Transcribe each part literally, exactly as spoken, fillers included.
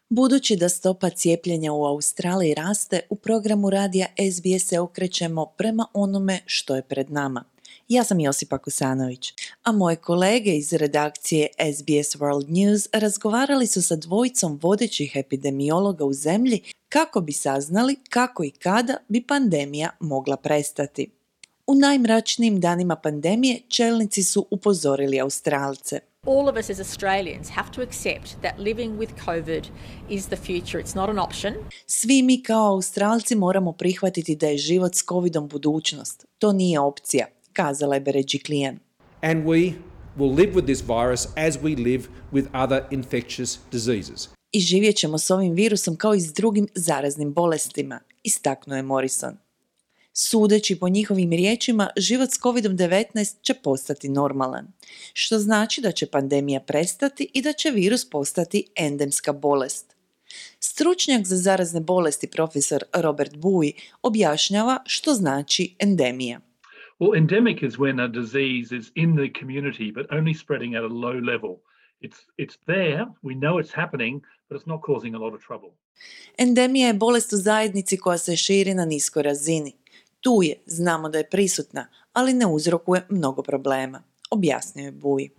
Budući da stopa cijepljenja u Australiji raste, u programu radija S B S se okrećemo prema onome što je pred nama. Ja sam Josipa Kusanović, a moje kolege iz redakcije S B S World News razgovarali su sa dvojicom vodećih epidemiologa u zemlji kako bi saznali kako i kada bi pandemija mogla prestati. U najmračnijim danima pandemije čelnici su upozorili Australce. All of us as Australians have to accept that living with COVID is the future. It's not an option. Svi mi kao Australci moramo prihvatiti da je život s covidom budućnost. To nije opcija, kazala je Berejiklian. And we will live with this virus as we live with other infectious diseases. I živjet ćemo s ovim virusom kao i s drugim zaraznim bolestima, istaknuo je Morrison. Sudeći po njihovim riječima, život s kovid devetnaest će postati normalan, što znači da će pandemija prestati i da će virus postati endemska bolest. Stručnjak za zarazne bolesti profesor Robert Bui objašnjava što znači endemija. Well, endemic is when a disease is in the community but only spreading at a low level. It's, it's there, we know it's happening, but it's not causing a lot of trouble. Endemija je bolest u zajednici koja se širi na niskoj razini. Tu je, znamo da je prisutna, ali ne uzrokuje mnogo problema, objasnio je Bui.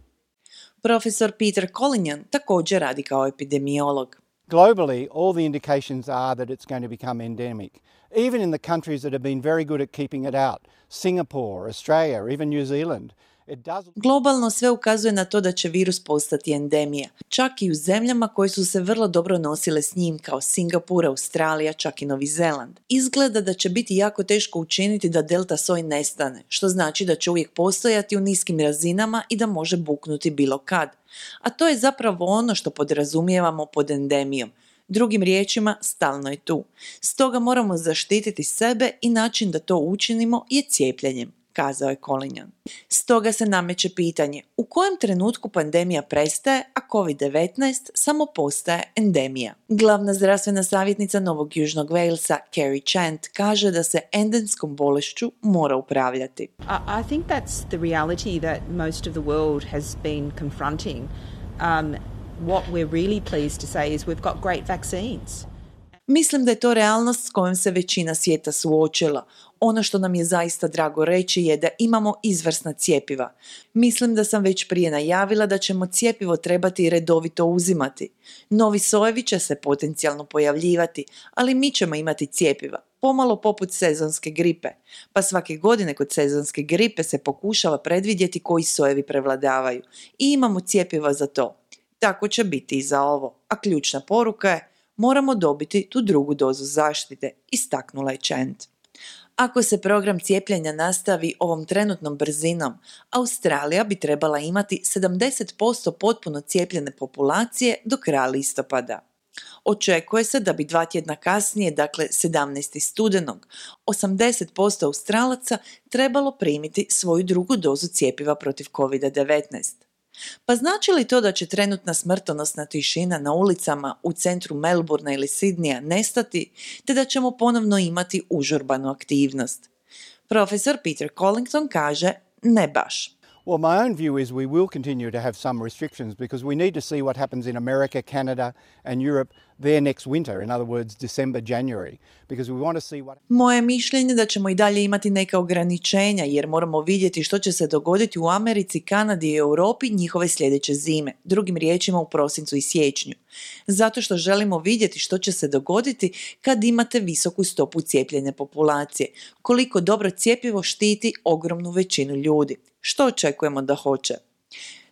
Profesor Peter Collingan također radi kao epidemiolog. Globally, all the indications are that it's going to become endemic. Even in the countries that have been very good at keeping it out, Singapore, Australia, even New Zealand, it doesn't... Globalno sve ukazuje na to da će virus postati endemija, čak i u zemljama koje su se vrlo dobro nosile s njim kao Singapur, Australija, čak i Novi Zeland. Izgleda da će biti jako teško učiniti da delta soj nestane, što znači da će uvijek postojati u niskim razinama i da može buknuti bilo kad. A to je zapravo ono što podrazumijevamo pod endemijom. Drugim riječima, stalno je tu. Stoga moramo zaštititi sebe i način da to učinimo je cijepljenjem, kazao je Collingan. Stoga se nameće pitanje, u kojem trenutku pandemija prestaje, a kovid devetnaest samo postaje endemija. Glavna zdravstvena savjetnica Novog Južnog Walesa, Kerry Chant, kaže da se endemskom bolešću mora upravljati. I think that's the reality that most of the world has been confronting. Um, what we're really pleased to say is we've got great vaccines. Mislim da je to realnost s kojom se većina svijeta suočila. Ono što nam je zaista drago reći je da imamo izvrsna cjepiva. Mislim da sam već prije najavila da ćemo cjepivo trebati redovito uzimati. Novi sojevi će se potencijalno pojavljivati, ali mi ćemo imati cjepiva, pomalo poput sezonske gripe. Pa svake godine kod sezonske gripe se pokušava predvidjeti koji sojevi prevladavaju i imamo cjepiva za to. Tako će biti i za ovo, a ključna poruka je moramo dobiti tu drugu dozu zaštite, istaknula je Chant. Ako se program cijepljenja nastavi ovom trenutnom brzinom, Australija bi trebala imati sedamdeset posto potpuno cijepljene populacije do kraja listopada. Očekuje se da bi dva tjedna kasnije, dakle sedamnaestog studenog, osamdeset posto Australaca trebalo primiti svoju drugu dozu cjepiva protiv kovid devetnaest. Pa znači li to da će trenutna smrtonosna tišina na ulicama u centru Melbourna ili Sidneya nestati, te da ćemo ponovno imati užurbanu aktivnost? Profesor Peter Collington kaže ne baš. Well, my own view is we will continue to have some restrictions because we need to see what happens in America, Canada and Europe there next winter, in other words December, January, because we want to see what... Moje mišljenje da ćemo i dalje imati neka ograničenja jer moramo vidjeti što će se dogoditi u Americi, Kanadi i Europi njihove sljedeće zime, drugim riječima u prosincu i siječnju. Zato što želimo vidjeti što će se dogoditi kad imate visoku stopu cijepljene populacije, koliko dobro cjepivo štiti ogromnu većinu ljudi. Što očekujemo da hoće?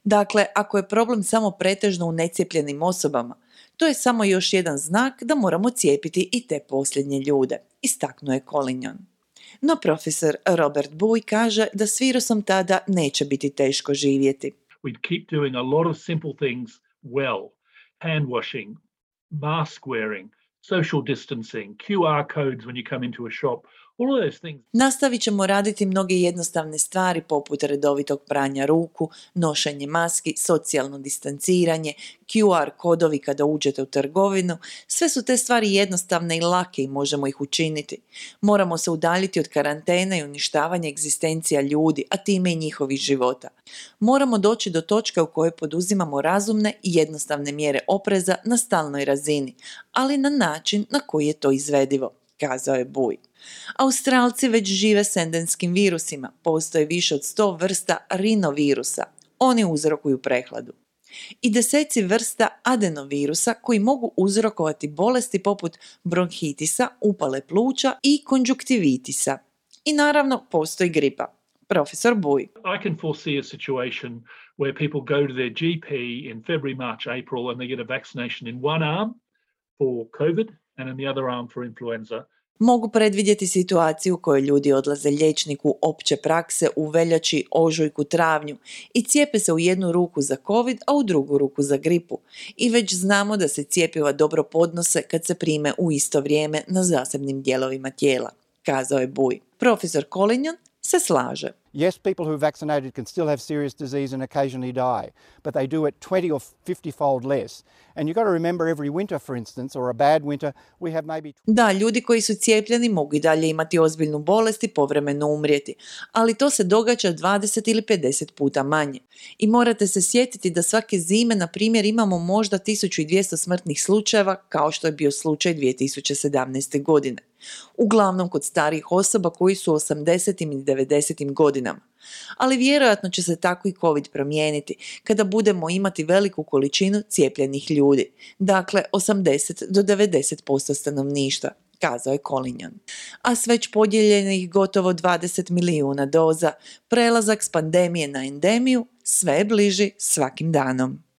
Dakle, ako je problem samo pretežno u necijepljenim osobama, to je samo još jedan znak da moramo cijepiti i te posljednje ljude, istaknuo je Collingan. No profesor Robert Bui kaže da s virusom tada neće biti teško živjeti. We'd keep doing a lot of simple things well. Hand washing, mask wearing, social distancing, Q R codes when you come into a shop. All of those things. Nastavit ćemo raditi mnoge jednostavne stvari poput redovitog pranja ruku, nošenje maski, socijalno distanciranje, Q R kodovi kada uđete u trgovinu. Sve su te stvari jednostavne i lake i možemo ih učiniti. Moramo se udaljiti od karantene i uništavanja egzistencija ljudi, a time i njihovih života. Moramo doći do točke u kojoj poduzimamo razumne i jednostavne mjere opreza na stalnoj razini, ali na način na koji je to izvedivo, kazao je Bui. Australci već žive s endemskim virusima, postoje više od sto vrsta rinovirusa, oni uzrokuju prehladu. I deseci vrsta adenovirusa koji mogu uzrokovati bolesti poput bronhitisa, upale pluća i konjuktivitisa. I naravno postoji gripa. Profesor Bui. I can foresee a situation where people go to their G P in February, March, April and they get a vaccination in one arm for COVID and in the other arm for influenza. Mogu predvidjeti situaciju u kojoj ljudi odlaze liječniku opće prakse u veljači, ožujku, travnju i cijepe se u jednu ruku za COVID, a u drugu ruku za gripu. I već znamo da se cjepiva dobro podnose kad se prime u isto vrijeme na zasebnim dijelovima tijela, kazao je Bui. Profesor Collingon se slaže. Yes, people who are vaccinated can still have serious disease and occasionally die, but they do it twenty or fifty fold less. And you've got to remember every winter, for instance, or a bad winter, we have maybe... Da, ljudi koji su cijepljeni mogu i dalje imati ozbiljnu bolest i povremeno umrijeti, ali to se događa dvadeset ili pedeset puta manje. I morate se sjetiti da svake zime, na primjer, imamo možda tisuću dvjesto smrtnih slučajeva, kao što je bio slučaj dvije tisuće sedamnaeste. godine. Uglavnom kod starijih osoba koji su u osamdesetim i devedesetim godinama. Ali vjerojatno će se tako i COVID promijeniti kada budemo imati veliku količinu cijepljenih ljudi, dakle osamdeset do devedeset posto stanovništva, kazao je Collingon. A s već podijeljenih gotovo dvadeset milijuna doza, prelazak s pandemije na endemiju sve je bliži svakim danom.